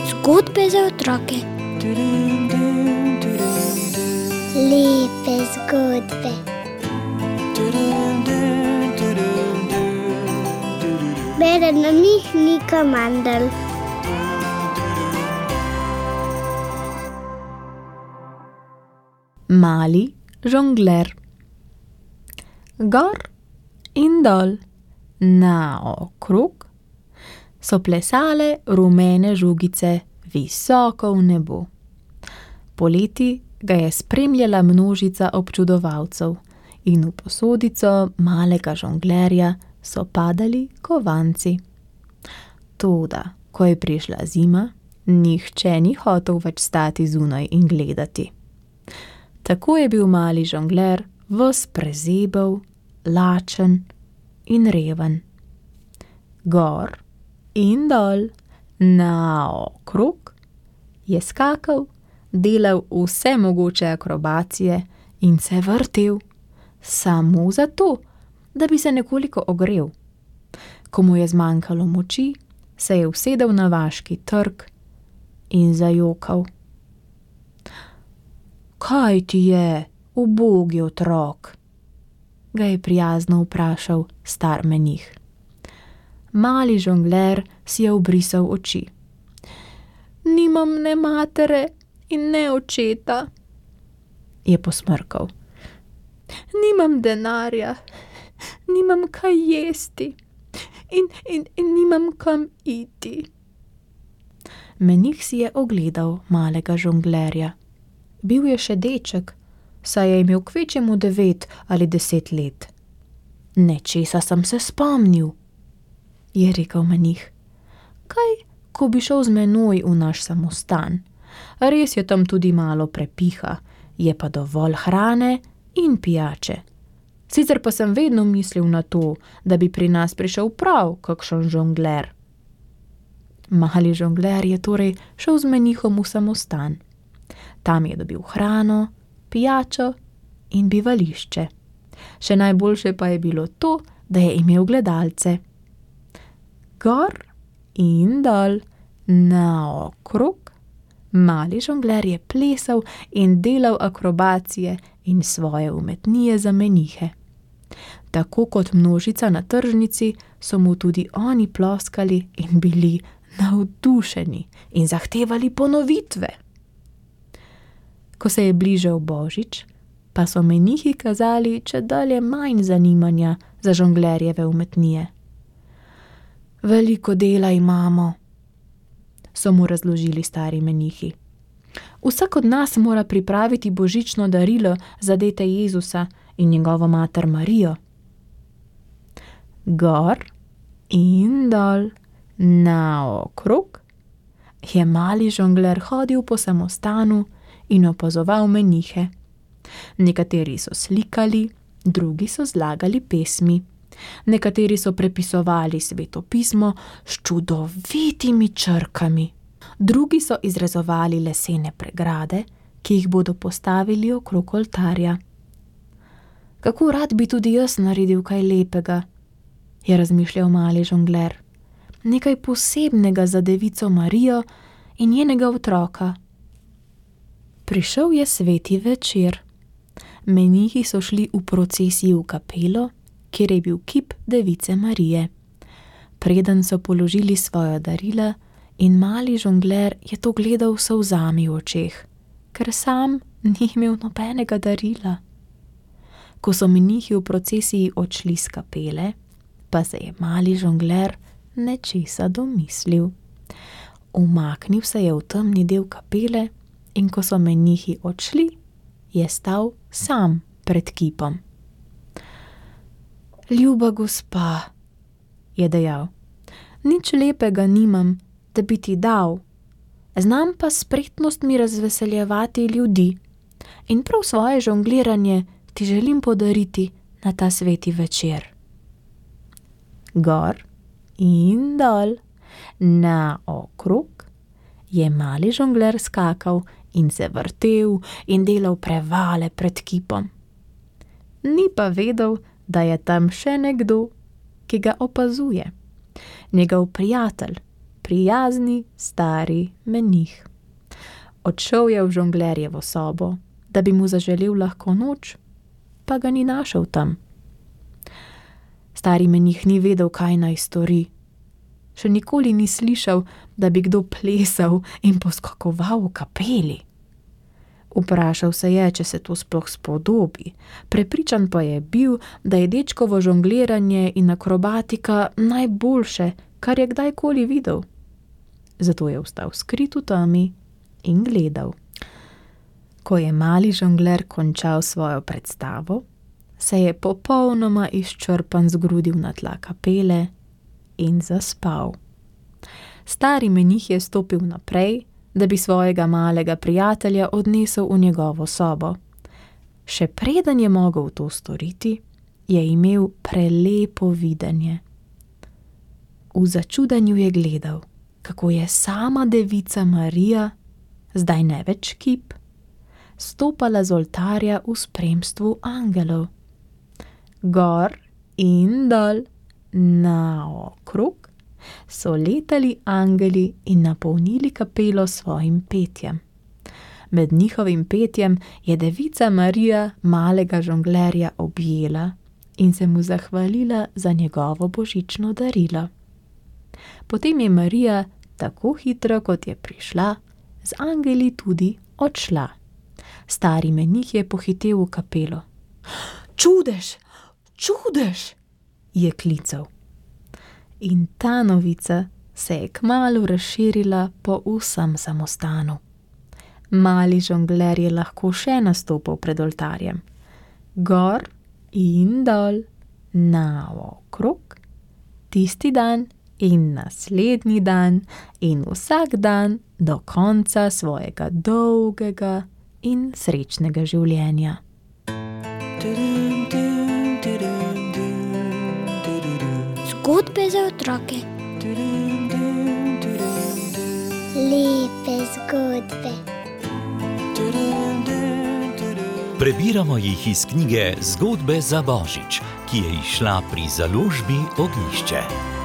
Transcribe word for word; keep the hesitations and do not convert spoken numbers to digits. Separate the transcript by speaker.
Speaker 1: Zgodbe za otroke. Lepe zgodbe. Bere nam jih Nika Mandl.
Speaker 2: Mali žongler. Gor in dol, naokrog, so plesale rumene žogice visoko v nebo. Poleti ga je spremljala množica občudovalcev in v posodico malega žonglerja so padali kovanci. Toda, ko je prišla zima, nihče ni hotel več stati zunaj in gledati. Tako je bil mali žongler ves prezebel, lačen in reven. Gor in dol, naokrog, je skakal, delal vse mogoče akrobacije in se vrtel, samo zato, da bi se nekoliko ogrel. Ko mu je zmanjkalo moči, se je usedel na vaški trg in zajokal. Kaj ti je, ubogi otrok? Ga je prijazno vprašal star menih. Mali žongler si je obrisal oči. Nimam ne matere in ne očeta, je posmrkal. Nimam denarja, nimam kaj jesti in, in, in nimam kam iti. Menih si je ogledal malega žonglerja. Bil je še deček, saj je imel kvečjemu devet ali deset let. Nečesa sem se spomnil, je rekel menih. Kaj, ko bi šel z menoj v naš samostan? Res je tam tudi malo prepiha, je pa dovolj hrane in pijače. Sicer pa sem vedno mislil na to, da bi pri nas prišel prav kakšen žongler. Mali žongler je torej šel z menihom v samostan. Tam je dobil hrano, pijačo in bivališče. Še najboljše pa je bilo to, da je imel gledalce. Gor in dol, naokrog, mali žongler je plesal in delal akrobacije in svoje umetnije za menihe. Tako kot množica na tržnici so mu tudi oni ploskali in bili navdušeni in zahtevali ponovitve. Ko se je bližal božič, pa so menihi kazali čedalje manj zanimanja za žonglerjeve umetnije. Veliko dela imamo, so mu razložili stari menihi. Vsak od nas mora pripraviti božično darilo za dete Jezusa in njegovo mater Marijo. Gor in dol, naokrog, je mali žongler hodil po samostanu in opazoval menihe. Nekateri so slikali, drugi so zlagali pesmi. Nekateri so prepisovali Sveto pismo s čudovitimi črkami. Drugi so izrezovali lesene pregrade, ki jih bodo postavili okrog oltarja. Kako rad bi tudi jaz naredil kaj lepega, je razmišljal mali žongler. Nekaj posebnega za devico Marijo in njenega otroka. Prišel je sveti večer. Menihi so šli v procesiji v kapelo, kjer je bil kip device Marije. Preden so položili svoja darila in mali žongler je to gledal s solzami v očeh, ker sam ni imel nobenega darila. Ko so menihi v procesiji odšli s kapele, pa se je mali žongler nečesa domislil. Umaknil se je v temni del kapele in ko so menihi odšli, je stal sam pred kipom. Ljuba gospa, je dejal, nič lepega nimam, da bi ti dal. Znam pa s spretnostmi razveseljevati ljudi in prav svoje žongliranje ti želim podariti na ta sveti večer. Gor in dol, naokrog, je mali žongler skakal in se vrtel in delal prevale pred kipom. Ni pa vedel, da je tam še nekdo, ki ga opazuje. Njegov prijatelj, prijazni stari menih. Odšel je v žonglerjevo sobo, da bi mu zaželel lahko noč, pa ga ni našel tam. Stari menih ni vedel, kaj naj stori. Še nikoli ni slišal, da bi kdo plesal in poskakoval v kapeli. Vprašal se je, če se to sploh spodobi. Prepričan pa je bil, da je dečkovo žongliranje in akrobatika najboljše, kar je kdajkoli videl. Zato je ostal skrit v temi in gledal. Ko je mali žongler končal svojo predstavo, se je popolnoma izčrpan zgrudil na tla kapele in zaspal. Stari menih je stopil naprej, da bi svojega malega prijatelja odnesel v njegovo sobo. Še preden je mogel to storiti, je imel prelepo videnje. V začudenju je gledal, kako je sama devica Marija, zdaj ne več kip, stopala z oltarja v spremstvu angelov. Gor in dol, naokrog, so letali angeli in napolnili kapelo s svojim petjem. Med njihovim petjem je devica Marija malega žonglerja objela in se mu zahvalila za njegovo božično darilo. Potem je Marija, tako hitro kot je prišla, z angeli tudi odšla. Stari menih je pohitel v kapelo. Čudež, čudež, je klical. In ta novica se je kmalu razširila po vsem samostanu. Mali žongler je lahko še nastopil pred oltarjem. Gor in dol, naokrog, tisti dan in naslednji dan in vsak dan do konca svojega dolgega in srečnega življenja.
Speaker 1: Zgodbe za otroke. Lepe zgodbe.
Speaker 3: Prebiramo jih iz knjige Zgodbe za Božič, ki je izšla pri založbi Ognjišče.